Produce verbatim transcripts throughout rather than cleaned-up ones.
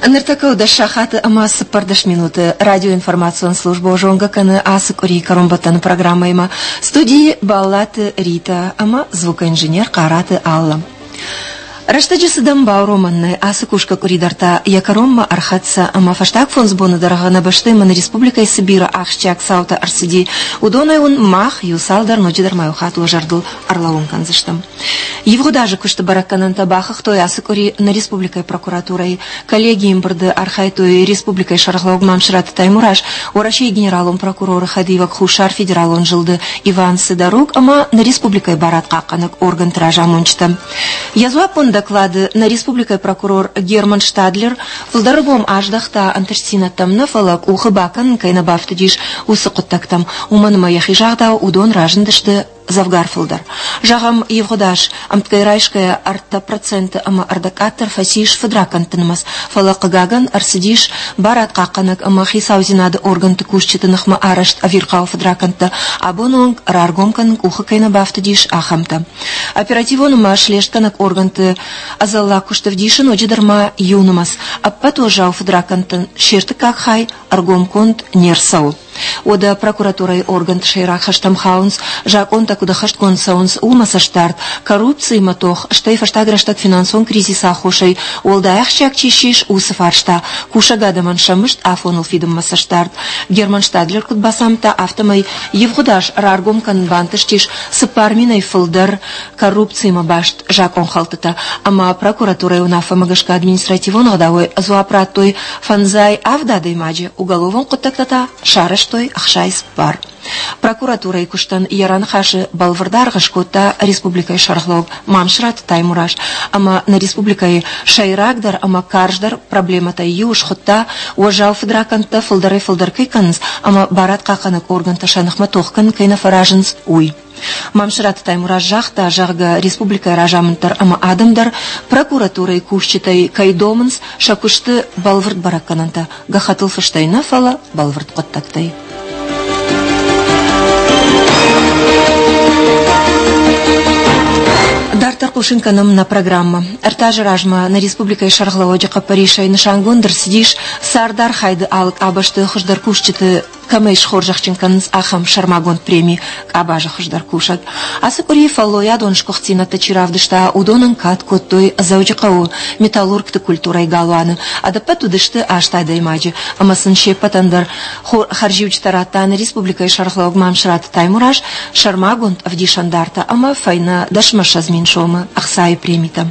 Ныртӕккӕ у дӕс сахаты ӕмӕ цыппӕрдӕс минуты. Радиоинформацион службӕ зонгӕ кӕны ацы къуырийы кӕронбӕттӕны программӕимӕ. Студийы Баллаты Рита ӕмӕ звукоинженер Хъараты Алла. Рӕстӕджы цыдӕн бауромӕн нӕй, ацы кусгӕ къуыри дӕр та йӕ кӕронмӕ ӕрхӕццӕ ӕмӕ фӕстаг фондз боны дӕргъы нӕ бӕстӕйы ӕмӕ нӕ республикӕйы цы бирӕ ахсджиаг цаутӕ ӕрцыди, уыдонӕй уын мах иу цалдӕр ноджыдӕр ма иу хатт уӕ зӕрдыл ӕрлӕууын кӕндзыстӕм. Ивгъуыд азы куысты бӕрӕггӕнӕнтӕ бахыгътой ацы къуыри нӕ республикӕйы прокуратурӕйы. Коллегийы ӕмбырды архайдтой республикӕйы сӕргълӕууӕг Мамсыраты Таймураз, Уӕрӕсейы генералон прокуроры хӕдивӕг Хуссар федералон зылды Иван Сидорук ӕмӕ нӕ республикӕйы барадхъахъхъӕнӕг органты разамонджытӕ. Йӕ дзуаппон доклады нӕ республикӕйы прокурор Герман Штадлер фылдӕр ӕргом аздӕхта ӕнтыстдзинӕдтӕм нӕ, фӕлӕ къухы бакӕнын кӕй нӕ бафтыдис, уыцы хъуыддӕгтӕм. Уымӕн ӕмӕ йӕхи загъдау, уыдон разындысты дзӕвгар фылдӕр. Зӕгъӕм, ивгъуыд аз ӕмткӕй райсгӕйӕ ӕртӕ проценты ӕмӕ ӕрдӕгкъаддӕр фӕцис фыдракӕндты нымӕц, фӕлӕ, хъыгагӕн, ӕрцыдис барадхъахъхъӕнӕг ӕмӕ хицаудзинады органты кусджыты ныхмӕ арӕзт ӕвирхъау фыдракӕндтӕ, абоны онг раргом кӕнын къухы кӕй нӕ бафтыдис, ахӕмтӕ. Оперативон ӕмӕ слестгӕнӕг органты ӕдзӕллаг куыст ӕвдисы ноджыдӕр ма иу нымӕц. Ӕппӕт уӕззау фыдракӕндтӕн се ртыккаг хай ӕргомконд не рцӕуы. Уӕдӕ прокуратурӕйы органты сӕйраг хӕстӕм хауынц, закъонтӕ куыд ӕххӕстгонд цӕуынц, уымӕ цӕстдард, коррупциимӕ тох, стӕй фӕстаг рӕстӕг финансон кризисы аххосӕй уӕлдай ахсджиаг чи ссис, уыцы фарста, кусӕг адӕмӕн сӕ мызд афоныл фидынмӕ цӕстдард. Герман Штадлер куыд бацамыдта, афтӕмӕй ивгъуыд аз раргом кӕнын бантыстис цыппар минӕй фылдӕр коррупциимӕ баст закъонхӕлдтытӕ ӕмӕ прокуратурӕйы уынаффӕмӕ гӕсгӕ административон ӕгъдауӕй дзуапп радтой фӕндзай авд адӕймаджы, уголовон хъуыддӕгтӕ та сарӕзтой ӕхсай цыппар. Прокуратурӕйы куыстӕн йӕ раныхасы бӕлвырд аргъ скодта республикӕйы сӕргълӕууӕг Мамсыраты Таймураз ӕмӕ нӕ республикӕйы сӕйрагдӕр ӕмӕ карздӕр проблемӕтӕй иу схуыдта, уӕззау фыдракӕндтӕ фылдӕрӕй-фылдӕр кӕй кӕнынц ӕмӕ барадхъахъхъӕнӕг органтӕ сӕ ныхмӕ тох кӕнын кӕй нӕ фӕразынц, уый. Мамсыраты Таймураз загъта, зӕгъгӕ, республикӕйы разамынд дӕр ӕмӕ адӕм дӕр прокуратурӕйы кусджытӕй кӕй домынц сӕ куысты бӕлвырд бӕрӕггӕнӕнтӕ, гӕххӕттыл фыстӕй нӕ, фӕлӕ бӕлвырд хъуыддӕгтӕй. Дарддӕр хъусын кӕнӕм нӕ программӕ. Ӕртӕ азы размӕ нӕ республикӕйы сӕргълӕууӕджы хъӕппӕрисӕй нысангонд ӕрцыдис цардархайды алы къабӕзты хуыздӕр кусджыты кӕмӕй схорзӕхджын кӕнынц, ахӕм сӕрмагонд преми «Къабазы хуыздӕр кусӕг». Ацы къуыри фӕллойадон сгуыхтдзинӕдтӕ чи равдыста, уыдонӕн кад кодтой Дзӕуджыхъӕуы металлургты культурӕйы галуаны. Ӕдӕппӕт уыдысты аст адӕймаджы, ӕмӕ сын се ппӕтӕн дӕр хӕрзиуджытӕ радта нӕ республикӕйы сӕргълӕууӕг Мамсыраты Таймураз, сӕрмагонд ӕвдисӕндартӕ ӕмӕ фӕйнӕ дӕсмӕссӕдз мин сомы ӕхцайы премитӕ.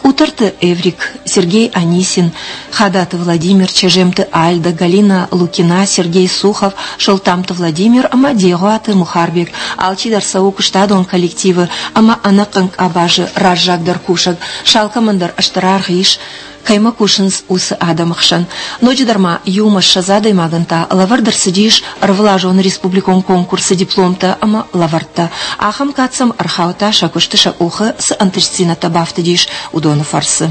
Къутӕрты Эврик, Сергей Анисин, Хадаты Владимир, Чежемты Альда, Галина Лукина, Сергей Сухов, Солтамты Владимир ӕмӕ Дегъуаты Мухарбег. Алчидӕр цӕуы куыстадон коллективы ӕмӕ ӕнӕхъӕн къабазы раззагдӕр кусӕг. Сӕ алкӕмӕн дӕр стыр аргъ ис, кӕимӕ кусынц, уыцы адӕмы хсӕн. Ноджыдӕр ма иумӕ ссӕдз адӕймагӕн та лӕвӕрд ӕрцыдис ӕрвылазон республикон конкурсы дипломтӕ ӕмӕ лӕвӕрттӕ. Ахӕм кад сӕм ӕрхаудта, сӕ куысты сӕ къухы цы ӕнтыстдзинӕдтӕ бафтыдис, уыдоны фӕрцы.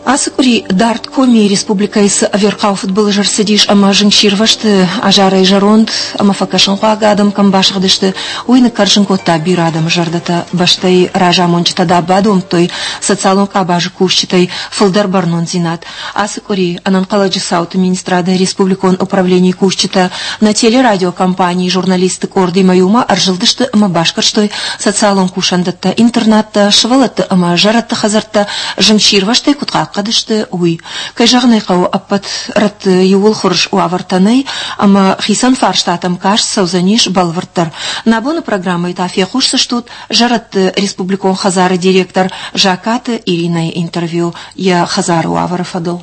Ацы къуыри дард Комийы республикӕйы цы ӕвирхъау фыдбылыз ӕрцыдис ӕмӕ зынгсирвӕзты азарӕй зӕронд ӕмӕ фӕкӕсынхъуаг адӕм кӕм басыгъдысты, уый ныккӕрзын кодта бирӕ адӕмы зӕрдӕтӕ. Бӕстӕйы разамонджытӕ да бадомдтой социалон къабазы кусджытӕй фылдӕр бӕрнондзинад. Ацы къуыри ӕнӕнхъӕлӕджы цауты министрады республикон управленийы кусджытӕ нӕ телерадиокомпанийы журналистты къордимӕ иумӕ ӕрзылдысты ӕмӕ басгӕрстой социалон кусӕндӕттӕ, интернаттӕ, сывӕллӕтты ӕмӕ зӕрӕдты хӕдзӕрттӕ зынгсирвӕзтӕй куыд хъахъхъӕд сты, уый. Кӕй зӕгъын ӕй хъӕуы, ӕппӕт рӕтты иууыл хорз уавӕртӕ нӕй, ӕмӕ хицӕн фарстатӕм каст цӕудзӕнис бӕлвырддӕр. Нӕ абоны программӕйы та фехъусдзыстут зӕрӕдты республикон хӕдзары директор Закаты Иринӕйы интервью йӕ хӕдзары уавӕры фӕдыл.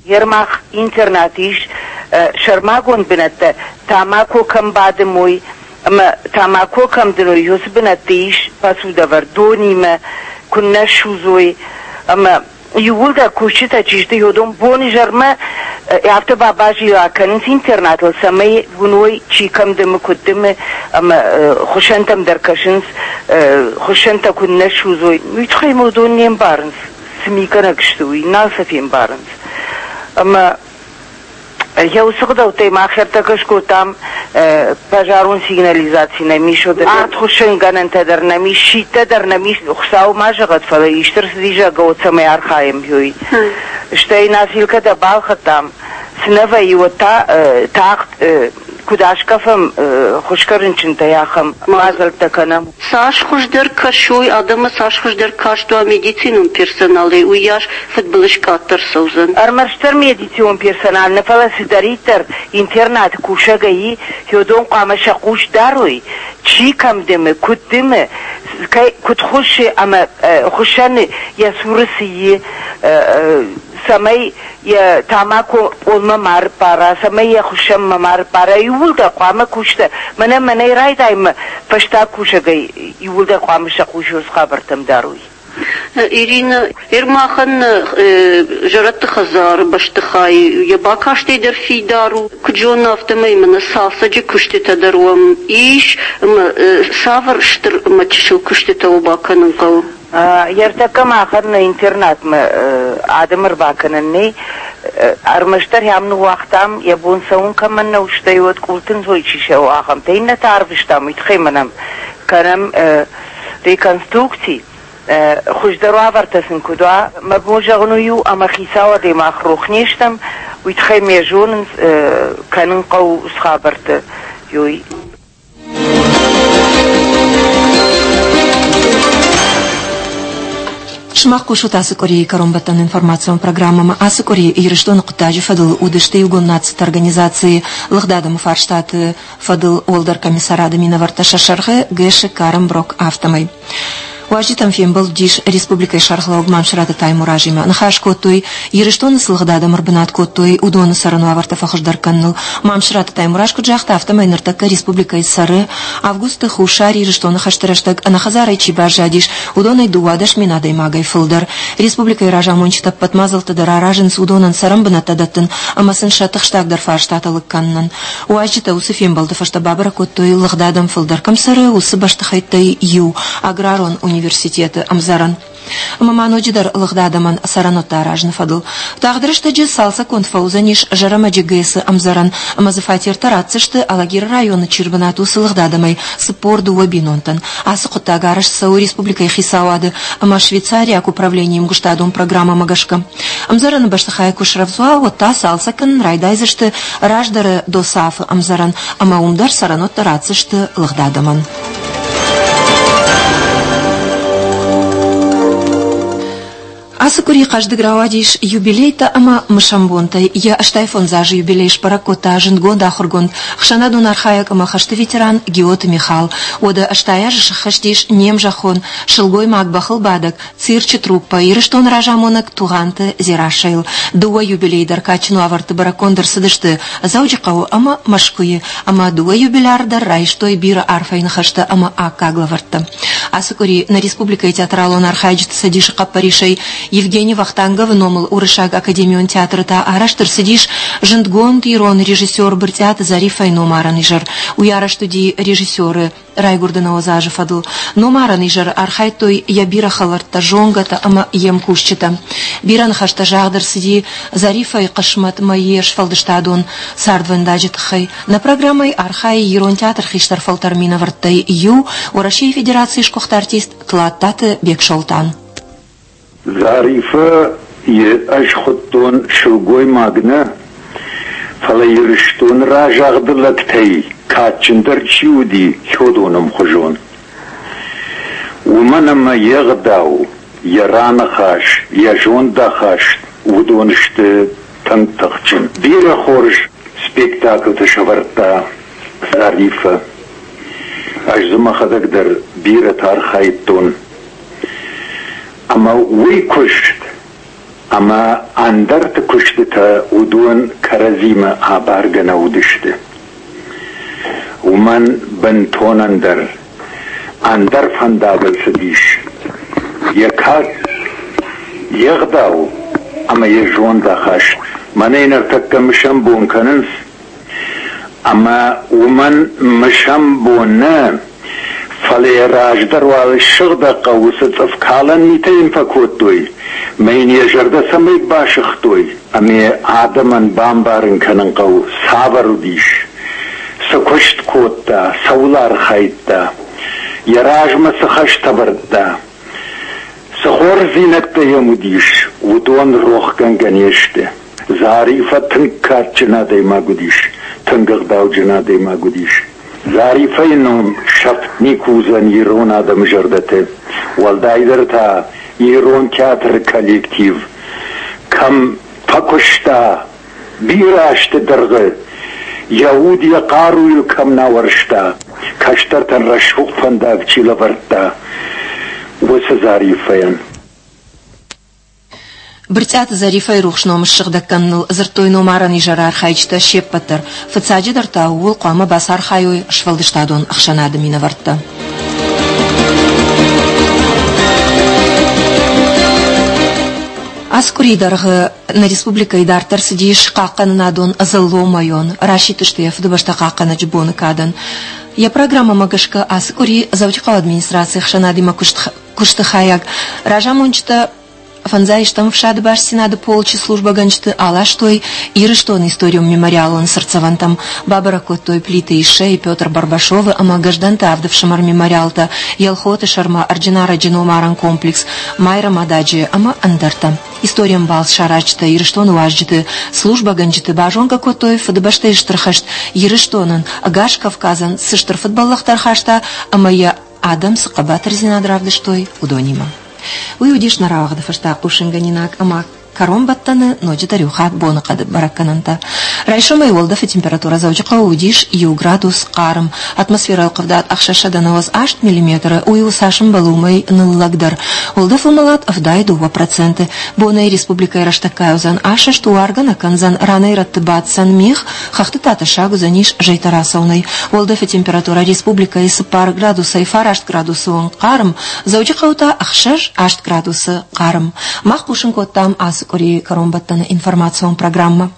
Ермах интернат ис сӕрмагонд бынӕттӕ, тамако кӕм бадымой ӕмӕ тамако кӕм дыной, уыцы бынӕтты ис посудӕвӕрд донимӕ, куыннӕ судзой ӕмӕ иууылдӕр кусджытӕ чи сты, уыдон бон-изӕрмӕ афтӕ бабазила кӕнынц интернатыл, цӕмӕй уыной, чи кӕм дымы, куыд дымы, ӕмӕ хуыссӕнтӕм дӕр кӕсынц, хуыссӕнтӕ куыннӕ судзой. Уый тыххӕй ма уыдон не мбарынц, цы мигӕнӕг сты, уый, нал сӕ фембарынц. Ӕмӕ Йӕ уыцы гъдӕуттӕй мах ӕртӕккӕ скодтам пожарон сигнализаци нӕм ис, артхуыссынгӕнӕнтӕ дӕр нӕм ис, щиттӕ дӕр нӕм ис. Хуыцау ма зӕгъӕд, фӕлӕ исты рцыди, зӕгъгӕ, уӕд цӕмӕй архайӕм, уый. Стӕй носилкӕтӕ балхӕдтам, цы нӕ вӕййы, уӕд та тагъд куыд аскъӕфӕм хуысгӕ рынчынтӕй, ахӕм мадзӕлттӕ кӕнӕм. Цас хуыздӕр кӕсой адӕмы, цас хуыздӕр каст уа медицинон персоналӕй, уыйас фыдбылыз къаддӕр цӕудзӕн. Ӕрмӕстдӕр медицинон персонал нӕ, фӕлӕ цыдӕриддӕр интернаты кусӕгӕй уыдон хъуамӕ сӕ хъус дарой, чи кӕм дымы, куыд дымы, куыд хуыссы ӕмӕ хуыссӕны йӕ цуры цы и, цӕмӕй йӕ тамако пъолмӕ ма рыппара, цӕмӕй йӕ хуыссӕнмӕ ма рыппара, иууылдӕр хъуамӕ кусгӕ. Мӕнӕ мӕнӕй райдаймӕ фӕстаг кусӕгӕй иууылдӕр хъуамӕ сӕ хъус уыцы хабӕрттӕм дарой. Ирина, Ермахӕн зӕрӕдты хӕдзары бӕстыхай йӕ бакастӕй дӕр фидар у. Куыд зонын, афтӕмӕй мын цалцӕджы куыстытӕ дӕр уӕм ис, ӕмӕ цавӕр стыр ӕмӕ чысыл куыстытӕ уӕ бакӕнын хъӕуы? Ӕртӕккӕ махӕн нӕ интернатмӕ адӕм ӕрбакӕнӕн нӕй. Ӕрмӕстдӕр ӕм ныууагътам, йӕ бон цӕуын кӕмӕн нӕу, стӕй уӕд къултынцой чи цӕуы, ахӕмтӕ. Иннӕтӕ арвыстам, уый тыххӕй мӕнӕн кӕнӕм реконструкци. Хуыздӕр уавӕртӕ сын куыд уа, мӕ бон зӕгъын уый у, ӕмӕ хицауадӕй мах рох не стӕм, уый тыххӕй ме зонынц, кӕнын хъӕуы уыцы хабӕрттӕ. Уый. Сымах хъусут ацы къуырийы кӕронбӕттӕн информацион программӕмӕ. Ацы къуыри Ирыстоны хъуыддаджы фӕдыл уыдысты Иугонд Нациты Организацийы лыгъд адӕмы фарстаты фӕдыл уӕлдӕр комиссарады минӕвӕрттӕ сӕ сӕргъы Гэши Карен Брок, афтӕмӕй. Уазджытӕм фембӕлд уыдис республикӕйы сӕргълӕууӕг Мамсыраты Таймуразимӕ. Ныхас кодтой, Ирыстоны цы лыгъд адӕм ӕрбынат кодтой, уыдоны цӕрӕн уавӕртӕ фӕхуыздӕр кӕныныл. Мамсыраты Таймураз куыд загъта, афтӕмӕй ныртӕккӕ республикӕйы цӕры, августы Хуссар Ирыстоны хӕсты рӕстӕг ӕнӕхӕдзарӕй чи баззадис, уыдонӕй дыууадӕс мин адӕймагӕй фылдӕр. Республикӕйы разамонджытӕ ӕппӕт мадзӕлттӕ дӕр аразынц уыдонӕн цӕрӕн бынӕттӕ дӕттын ӕмӕ сын сӕ тыхстагдӕр фарстатӕ лыг кӕнынӕн. Уазджытӕ уыцы фембӕлды фӕстӕ бабӕрӕг кодтой, лыгъд адӕм фылдӕр кӕм цӕры, уыцы бӕстыхӕйттӕй иу – аграрон университеты ӕмдзӕрӕн. Ӕмӕ ма ноджыдӕр лыгъд адӕмӕн цӕрӕнуӕттӕ аразыны фӕдыл. Тагъд рӕстӕджы цалцӕггонд фӕуыдзӕнис Зӕрӕмӕджы ГЭС-ы ӕмдзӕрӕн ӕмӕ дзы фатертӕ ратдзысты Алагиры районы чи ӕрбынат, уыцы лыгъд адӕмӕй цыппор дыууӕ бинонтӕн. Ацы хъуыддаг арӕзт цӕуы республикӕйы хицауады ӕмӕ швейцариаг управленийы ӕмгуыстадон программӕмӕ гӕсгӕ. Ӕмдзӕрӕны бӕстыхай куы срӕвдз уа, уӕд та цалцӕг кӕнын райдайдзысты раздӕры ДОСААФ-ы ӕмдзӕрӕн ӕмӕ уым дӕр цӕрӕнуӕттӕ ратдзысты лыгъд адӕмӕн. Ацы къуыри хъӕздыг рауадис юбилейтӕ ӕмӕ мысӕн бонтӕй. Йӕ ӕстай фондз азы юбилей сбӕрӕг кодта зындгонд ахуыргонд, ӕхсӕнадон архайӕг ӕмӕ хӕсты ветеран Гиоты Михал. Уӕдӕ ӕстай азы сӕххӕст ис не мзӕххон, сылгоймаг бӕхылбадӕг, цирчы труппӕ Ирыстоны разамонӕг Тугъанты Дзерассӕйыл. Дыууӕ юбилейы дӕр кадджын уавӕрты бӕрӕггонд ӕрцыдысты Дзӕуджыхъӕуы ӕмӕ Мӕскуыйы, ӕмӕ дыууӕ юбиляр дӕр райстой бирӕ арфӕйы ныхӕстӕ ӕмӕ аккаг лӕвӕрттӕ. Ацы къуыри нӕ республикӕйы театралон архайджыты цӕдисы хъӕппӕрисӕй Евгений Вахтанговы номыл Уырыссаг академион театры та арӕзт ӕрцыдис зындгонд ирон режиссер Брытъиаты Зариффӕйы номарӕн изӕр. Уый арӕзт уыди режиссеры райгуырды нӕуӕдз азы фӕдыл. Номарӕн изӕры архайдтой йӕ бирӕ хӕлӕрттӕ, зонгӕтӕ ӕмӕ йе мкусджытӕ. Бирӕ ныхӕстӕ загъд ӕрцыди Зариффӕйы хъысмӕт ӕмӕ йе сфӕлдыстадон цардвӕндаджы тыххӕй. Нӕ программӕйы архайы ирон театры хистӕр фӕлтӕры минӕвӕрттӕй иу, Уӕрӕсейы Федерацийы сгуыхт артист Тлаттаты Бексолтан. Зариффӕйы ӕз хуыдтон сылгоймаг нӕ, фӕлӕ Ирыстоны разагъды лӕгтӕй кадджындӕр чи уыди, уыдоны ӕмхуызон. Уымӕн ӕмӕ йе гъдау, йӕ раныхас, йӕ зондахаст уыдон сты тынг тыхджын. Бирӕ хорз спектаклты сӕвӕрдта Зариффӕ. Ӕз дзы мӕхӕдӕг дӕр бирӕтӕ архайдтон. Ӕмӕ уый куыст ӕмӕ ӕндӕрты куыстытӕ уыдон кӕрӕдзимӕ абаргӕ нӕ уыдысты. Уымӕн бынтон ӕндӕр, ӕндӕр фӕндагыл цыдис. Йӕ кад, йе гъдау ӕмӕ йӕ зондахаст. Мӕнӕй ныртӕккӕ мысӕн бон кӕнынц, ӕмӕ уымӕн мысӕн бон нӕ, Фӕлӕ йӕ раздӕр уал ссыгъдӕг хъӕуы цы цъыфкалӕн митӕ йын фӕкодтой, мӕ йын йӕ зӕрдӕ цӕмӕй басыгътой, ӕмӕ йӕ адӕмӕн бамбарын кӕнын хъӕуы, цавӕр уыдис, цы куыст кодта, цӕуыл архайдта, йӕ размӕ цы хӕстӕ ӕвӕрдта. Цы хорздзинӕдтӕ йӕм уыдис, уыдон рохгӕнгӕ не сты. Зариффӕ тынг кадджын адӕймаг уыдис, тынг ӕгъдауджын адӕймаг уыдис. Зариффӕйы ном сӕфт никуы уыдзӕн ирон адӕмы зӕрдӕты, уӕлдайдӕр та ирон театры коллектив кӕм фӕкуыста бирӕ азты дӕргъы, йӕ уд йӕ хъаруйыл кӕм нӕ ауӕрста, кӕстӕртӕн рӕсугъд фӕндаг чи лӕвӕрдта, уыцы Зариффӕйӕн. Брытъиаты Зариффӕйы рухс ном ссыгъдӕг кӕныныл дзырдтой номарӕн изӕры архайджытӕ се ппӕт дӕр. Фыццаджыдӕр та ууыл хъуамӕ бацархайой сфӕлдыстадон ӕхсӕнады минӕвӕрттӕ. Ацы къуырийы дӕргъы нӕ республикӕйы дарддӕр цыдис хъахъхъӕнынадон дзыллон расидтысты йӕ Фыдыбӕстӕ хъахъхъӕнӕджы боны кадӕн. Йӕ программӕмӕ гӕсгӕ ацы къуыри Дзӕуджыхъӕуы администрацийы ӕхсӕнадимӕ куысты хайад разамонджытӕ фӕндзайстӕм ӕфсады бастдзинады полчы службӕгӕнджыты аластой Ирыстоны историон мемориалон цыртдзӕвӕнтӕм, бабӕрӕг кодтой Плиты Иссӕйы, Петр Барбашовы ӕмӕ Гӕздӕнты авд ӕфсымӕр мемориалтӕ, Елхоты сӕрмӕ Ӕрджынарӕджы номарӕн комплекс, Майрӕмададжы ӕмӕ ӕндӕртӕ. Историон балц саразджытӕ Ирыстоны уазджыты, службӕгӕнджыты базонгӕ кодтой Фыдыбӕстӕйы Стыр хӕст Ирыстонӕн, ӕгас Кавказӕн цы стыр фыдбӕллӕхтӕ ӕрхаста ӕмӕ йӕ адӕм цы хъӕбатырдзинад равдыстой, уыдонимӕ. Уый уыдис нӕ рауагъды фӕстӕ хъусынгӕнинаг ӕмӕ кӕронбӕттӕны ноджыдӕр иу хатт боныхъӕды бӕрӕггӕнӕнтӕ. Райсомӕй уӕлдӕфы температурӕ Дзӕуджыхъӕуы уыдис иу градус хъарм. Атмосферӕйы ӕлхъывдад ӕхсӕзсӕдӕ нӕуӕдз аст миллиметры, уый у цас ӕмбӕлы, уымӕй ныллӕгдӕр. Уӕлдӕфы уымӕлад ӕвдай дыууӕ проценты. Бонӕй республикӕйы рӕстӕггай уыдзӕн асӕст, уаргӕ нӕ кӕндзӕн, ранӕй-рӕтты баддзӕн мигъ, хӕхты та тӕссаг уыдзӕнис зӕйтӕ рацӕуынӕй. Уӕлдӕфы температурӕ республикӕйы цыппар градусӕй фараст градусы онг хъарм, Дзӕуджыхъӕуы та ӕхсӕз аст градусы хъарм. Мах хъусын кодтам ацы къуырийы кӕронбӕттӕны информацион программӕ.